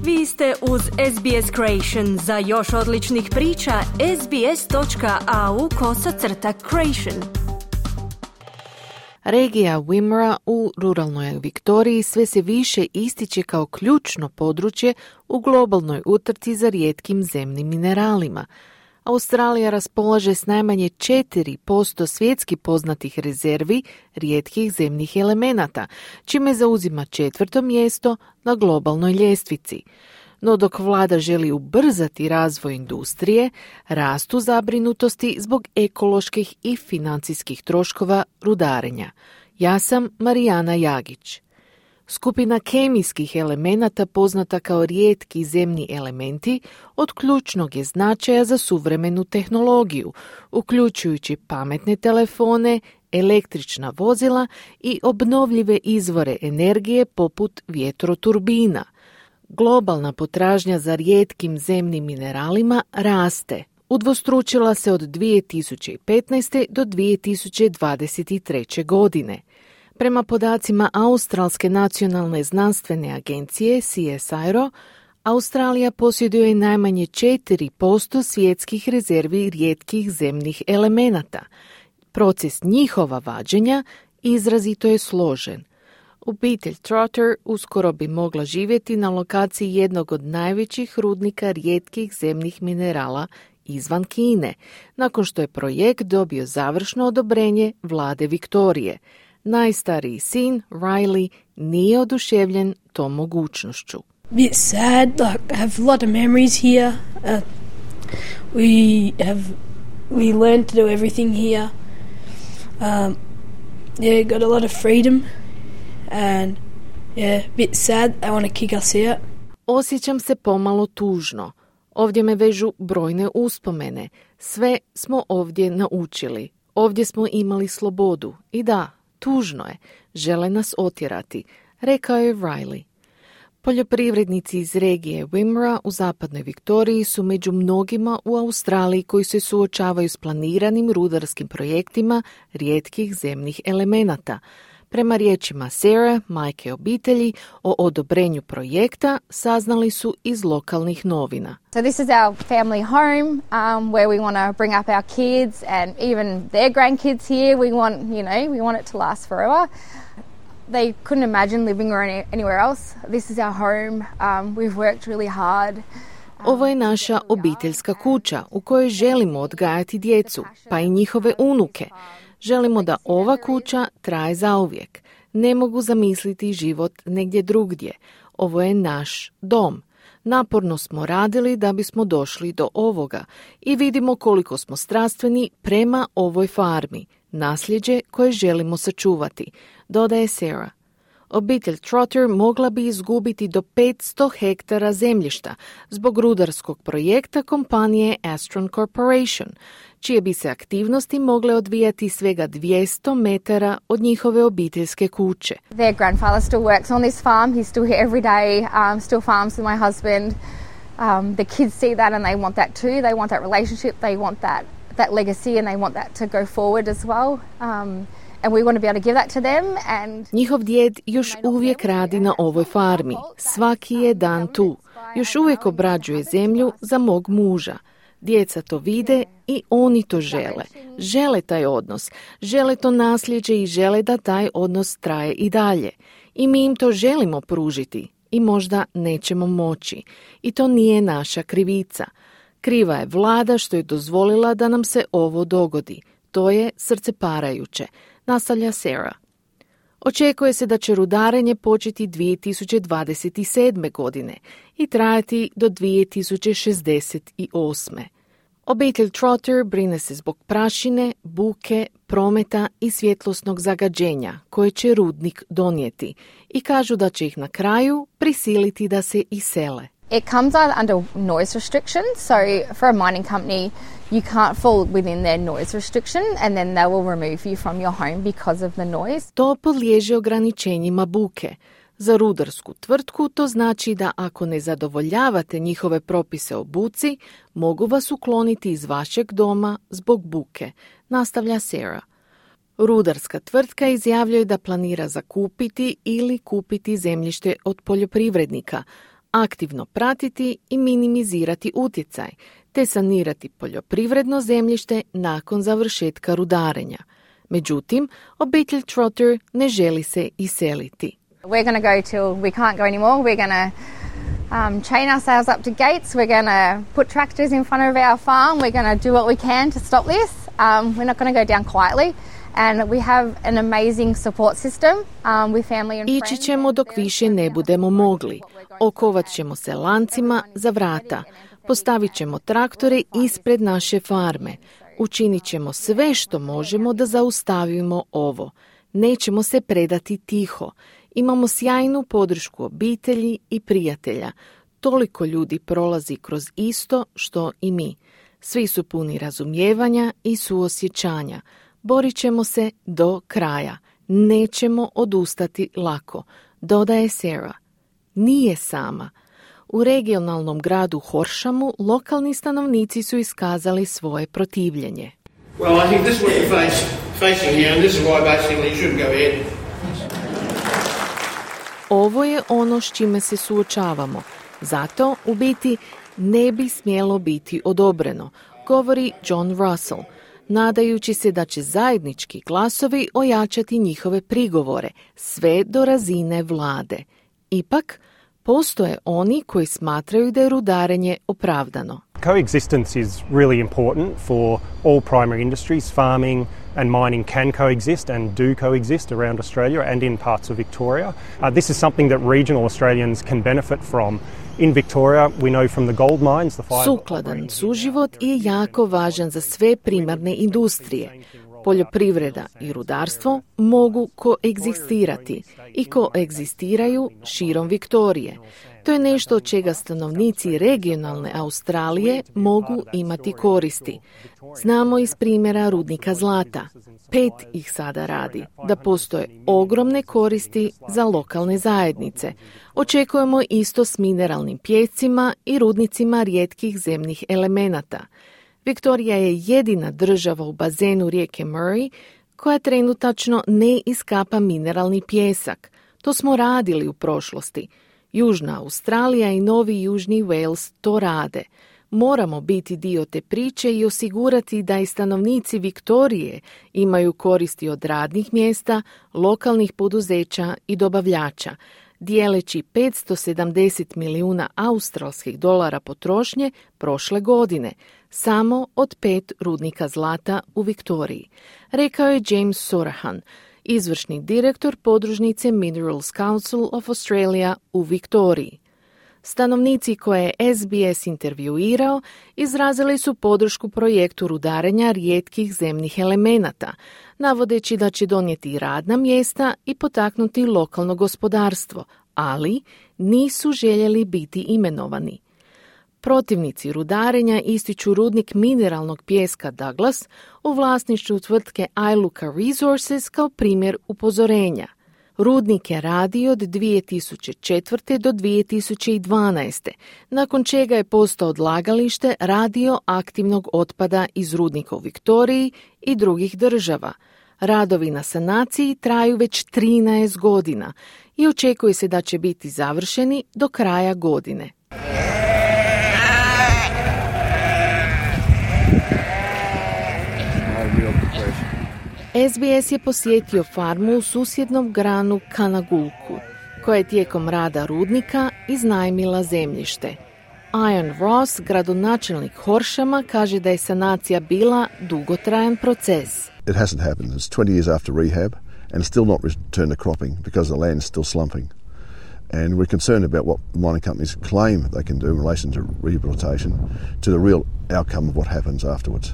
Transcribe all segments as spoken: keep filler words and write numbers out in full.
Vi ste uz S B S Creation. Za još odličnih priča, sbs.au kosacrta creation. Regija Wimmera u ruralnoj Viktoriji sve se više ističe kao ključno područje u globalnoj utrci za rijetkim zemnim mineralima. Australija raspolaže s najmanje četiri posto svjetski poznatih rezervi rijetkih zemnih elemenata, čime zauzima četvrto mjesto na globalnoj ljestvici. No dok vlada želi ubrzati razvoj industrije, rastu zabrinutosti zbog ekoloških i financijskih troškova rudarenja. Ja sam Marijana Jagić. Skupina kemijskih elemenata poznata kao rijetki zemni elementi od ključnog je značaja za suvremenu tehnologiju, uključujući pametne telefone, električna vozila i obnovljive izvore energije poput vjetroturbina. Globalna potražnja za rijetkim zemnim mineralima raste. Udvostručila se od dvije tisuće petnaeste. do dvije tisuće dvadeset treće. godine. Prema podacima Australske nacionalne znanstvene agencije C S I R O, Australija posjeduje najmanje četiri posto svjetskih rezervi rijetkih zemnih elemenata. Proces njihova vađenja izrazito je složen. Obitelj Trotter uskoro bi mogla živjeti na lokaciji jednog od najvećih rudnika rijetkih zemnih minerala izvan Kine, nakon što je projekt dobio završno odobrenje vlade Viktorije. Najstariji sin, Riley, nije oduševljen tom mogućnošću. Bit sad, like I have a lot of memories here. Uh, we have we learned to do everything here. Um, yeah, got a lot of freedom, and yeah, bit sad. I want to kick us out. Osjećam se pomalo tužno. Ovdje me vežu brojne uspomene. Sve smo ovdje naučili. Ovdje smo imali slobodu. I da, tužno je. Žele nas otjerati, rekao je Riley. Poljoprivrednici iz regije Wimmera u zapadnoj Viktoriji su među mnogima u Australiji koji se suočavaju s planiranim rudarskim projektima rijetkih zemnih elemenata. Prema riječima Sarah, majke obitelji, o odobrenju projekta saznali su iz lokalnih novina. So this is our family home um, where we want to bring up our kids and even their grandkids here. We want, you know, we want it to last forever. They couldn't imagine living any, anywhere else. This is our home. Um, we've worked really hard. Ovo je naša obiteljska kuća u kojoj želimo odgajati djecu, pa i njihove unuke. Želimo da ova kuća traje zauvijek. Ne mogu zamisliti život negdje drugdje. Ovo je naš dom. Naporno smo radili da bismo došli do ovoga i vidimo koliko smo strastveni prema ovoj farmi, nasljeđe koje želimo sačuvati, dodaje Sarah. Obitelj Trotter mogla bi izgubiti do petsto hektara zemljišta zbog rudarskog projekta kompanije Astron Corporation, čije bi se aktivnosti mogle odvijati svega dvjesto metara od njihove obiteljske kuće. Their grandfather still works on this farm. He's still here every day, um, still farms with my husband. Um, the kids see that and they want that too. They want that relationship. They want that, that legacy and they want that to go forward as well. Um, And we want to be able to give that to them and... Njihov djed još uvijek radi na ovoj farmi. Svaki je dan tu. Još uvijek obrađuje zemlju za mog muža. Djeca to vide i oni to žele. Žele taj odnos. Žele to nasljeđe i žele da taj odnos traje i dalje. I mi im to želimo pružiti. I možda nećemo moći. I to nije naša krivica. Kriva je vlada što je dozvolila da nam se ovo dogodi. To je srceparajuće, nastavlja Sarah. Očekuje se da će rudarenje početi dvije tisuće dvadeset sedme. godine i trajati do dvije tisuće šezdeset osme. Obitelj Trotter brine se zbog prašine, buke, prometa i svjetlosnog zagađenja koje će rudnik donijeti i kažu da će ih na kraju prisiliti da se isele. It comes under noise restrictions, so for a mining company you can't fall within their noise restriction and then they will remove you from your home because of the noise. To podliježe ograničenjima buke. Za rudarsku tvrtku to znači da ako ne zadovoljavate njihove propise o buci, mogu vas ukloniti iz vašeg doma zbog buke, nastavlja Sarah. Rudarska tvrtka izjavljuje da planira zakupiti ili kupiti zemljište od poljoprivrednika, aktivno pratiti i minimizirati utjecaj, te sanirati poljoprivredno zemljište nakon završetka rudarenja. Međutim, obitelj Trotter ne želi se iseliti. We're going to go till we can't go anymore. We're going to um, chain ourselves up to gates. We're going to put tractors in front of our farm. We're going to do what we can to stop this. Um, we're not going to go down quietly. And we have an amazing support system um, with family and friends. Ići ćemo dok više ne budemo mogli. Okovat ćemo se lancima za vrata. Postavit ćemo traktore ispred naše farme. Učinit ćemo sve što možemo da zaustavimo ovo. Nećemo se predati tiho. Imamo sjajnu podršku obitelji i prijatelja. Toliko ljudi prolazi kroz isto što i mi. Svi su puni razumijevanja i suosjećanja. Borit ćemo se do kraja. Nećemo odustati lako, dodaje Sarah. Nije sama. U regionalnom gradu Horshamu lokalni stanovnici su iskazali svoje protivljenje. Well, I think this is what you're face, facing here, and this is why basically you shouldn't go ahead. Ovo je ono s čime se suočavamo. Zato, u biti, ne bi smjelo biti odobreno, govori John Russell, nadajući se da će zajednički glasovi ojačati njihove prigovore, sve do razine vlade. Ipak, postoje oni koji smatraju da je rudarenje opravdano. Coexistence is really important for all primary industries. Farming and mining can coexist and do coexist around Australia and in parts of Victoria. Uh, this is something that regional Australians can benefit from. In Victoria, we know from the gold mines, the five... Sukladan suživot je jako važan za sve primarne industrije. Poljoprivreda i rudarstvo mogu koegzistirati i koegzistiraju širom Viktorije. To je nešto od čega stanovnici regionalne Australije mogu imati koristi. Znamo iz primjera rudnika zlata. Pet ih sada radi, da postoje ogromne koristi za lokalne zajednice. Očekujemo isto s mineralnim pijescima i rudnicima rijetkih zemnih elemenata. Viktorija je jedina država u bazenu rijeke Murray koja trenutačno ne iskapa mineralni pijesak. To smo radili u prošlosti. Južna Australija i Novi Južni Wales to rade. Moramo biti dio te priče i osigurati da i stanovnici Viktorije imaju koristi od radnih mjesta, lokalnih poduzeća i dobavljača, dijeleći petsto sedamdeset milijuna australskih dolara potrošnje prošle godine, samo od pet rudnika zlata u Viktoriji, rekao je James Sorahan, izvršni direktor podružnice Minerals Council of Australia u Viktoriji. Stanovnici koje je S B S intervjuirao izrazili su podršku projektu rudarenja rijetkih zemnih elemenata, navodeći da će donijeti radna mjesta i potaknuti lokalno gospodarstvo, ali nisu željeli biti imenovani. Protivnici rudarenja ističu rudnik mineralnog pijeska Douglas u vlasništvu tvrtke Iluka Resources kao primjer upozorenja. Rudnik je radio od dvije tisuće četvrte do dvije tisuće dvanaeste, nakon čega je postao odlagalište radioaktivnog otpada iz rudnika u Viktoriji i drugih država. Radovi na sanaciji traju već trinaest godina i očekuje se da će biti završeni do kraja godine. S B S je posjetio farmu u susjednom granu Kanagulku, koja je tijekom rada rudnika iznajmila zemljište. Ian Ross, gradonačelnik Horshama, kaže da je sanacija bila dugotrajan proces. It hasn't happened. It's twenty years after rehab and still not returned to cropping because the land's still slumping. And we're concerned about what mining companies claim they can do in relation to rehabilitation to the real outcome of what happens afterwards.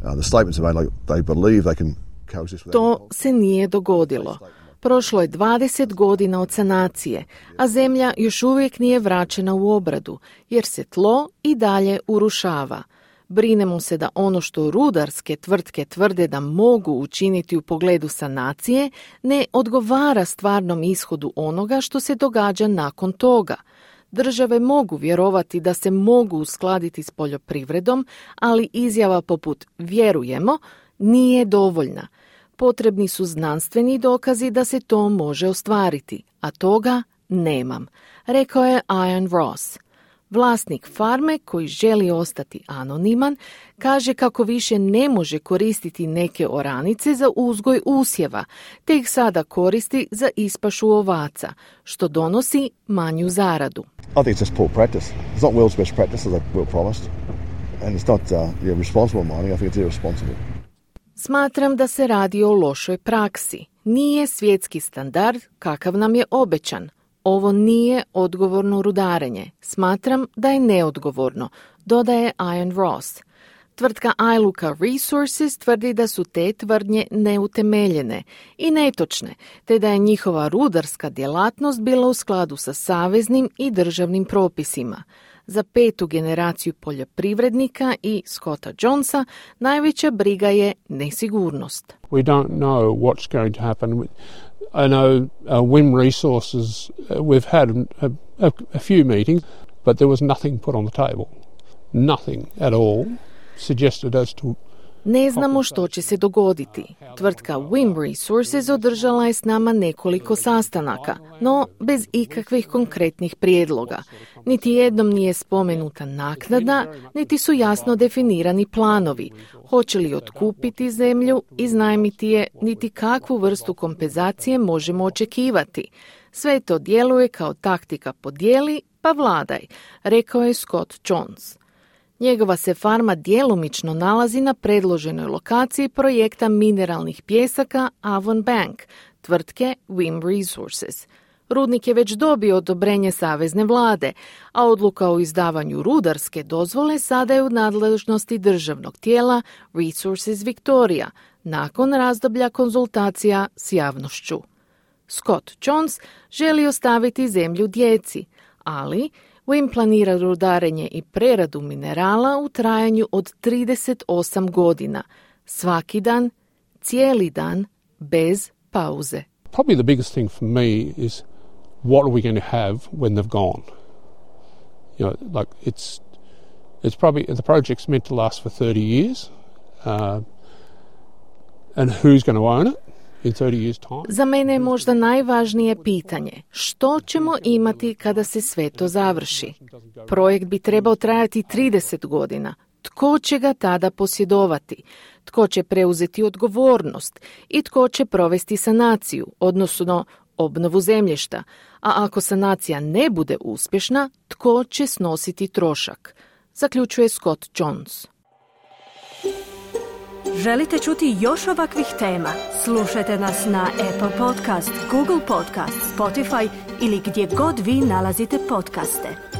Uh, the statements are made like they believe they can coexist with To se nije dogodilo. Prošlo je dvadeset godina od sanacije, a zemlja još uvijek nije vraćena u obradu, jer se tlo i dalje urušava. Brinemo se da ono što rudarske tvrtke tvrde da mogu učiniti u pogledu sanacije ne odgovara stvarnom ishodu onoga što se događa nakon toga. Države mogu vjerovati da se mogu uskladiti s poljoprivredom, ali izjava poput vjerujemo nije dovoljna. Potrebni su znanstveni dokazi da se to može ostvariti, a toga nemam, rekao je Ian Ross. Vlasnik farme, koji želi ostati anoniman, kaže kako više ne može koristiti neke oranice za uzgoj usjeva, te ih sada koristi za ispašu ovaca, što donosi manju zaradu. I think it's just poor practice. It's not world's best practice, as they were promised. And it's not uh, yeah, responsible mining. I think it's irresponsible. Smatram da se radi o lošoj praksi. Nije svjetski standard kakav nam je obećan. Ovo nije odgovorno rudarenje. Smatram da je neodgovorno, dodaje Ian Ross. Tvrtka Iluka Resources tvrdi da su te tvrdnje neutemeljene i netočne, te da je njihova rudarska djelatnost bila u skladu sa saveznim i državnim propisima. Za petu generaciju poljoprivrednika i Scotta Jonesa najveća briga je nesigurnost. We don't know what's going to happen. I know uh, Wim Resources, uh, we've had a, a, a few meetings, but there was nothing put on the table. Nothing at all suggested as to... Ne znamo što će se dogoditi. Tvrtka Wim Resources održala je s nama nekoliko sastanaka, no bez ikakvih konkretnih prijedloga. Niti jednom nije spomenuta naknada, niti su jasno definirani planovi. Hoće li otkupiti zemlju, iznajmiti je, niti kakvu vrstu kompenzacije možemo očekivati. Sve to djeluje kao taktika podijeli pa vladaj, rekao je Scott Jones. Njegova se farma djelomično nalazi na predloženoj lokaciji projekta mineralnih pjesaka Avon Bank, tvrtke Wim Resources. Rudnik je već dobio odobrenje savezne vlade, a odluka o izdavanju rudarske dozvole sada je u nadležnosti državnog tijela Resources Victoria, nakon razdoblja konzultacija s javnošću. Scott Jones želi ostaviti zemlju djeci, ali Wim planira rudarenje i preradu minerala u trajanju od trideset osam godina, svaki dan, cijeli dan, bez pauze. Probably the biggest thing for me is what are we going to have when they've gone? You know, like it's it's probably the project's meant to last for thirty years, uh, and who's going to own it? Za mene je možda najvažnije pitanje što ćemo imati kada se sve to završi. Projekt bi trebao trajati trideset godina. Tko će ga tada posjedovati? Tko će preuzeti odgovornost? I tko će provesti sanaciju, odnosno obnovu zemljišta? A ako sanacija ne bude uspješna, tko će snositi trošak? Zaključuje Scott Jones. Želite čuti još ovakvih tema? Slušajte nas na Apple Podcast, Google Podcast, Spotify ili gdje god vi nalazite podcaste.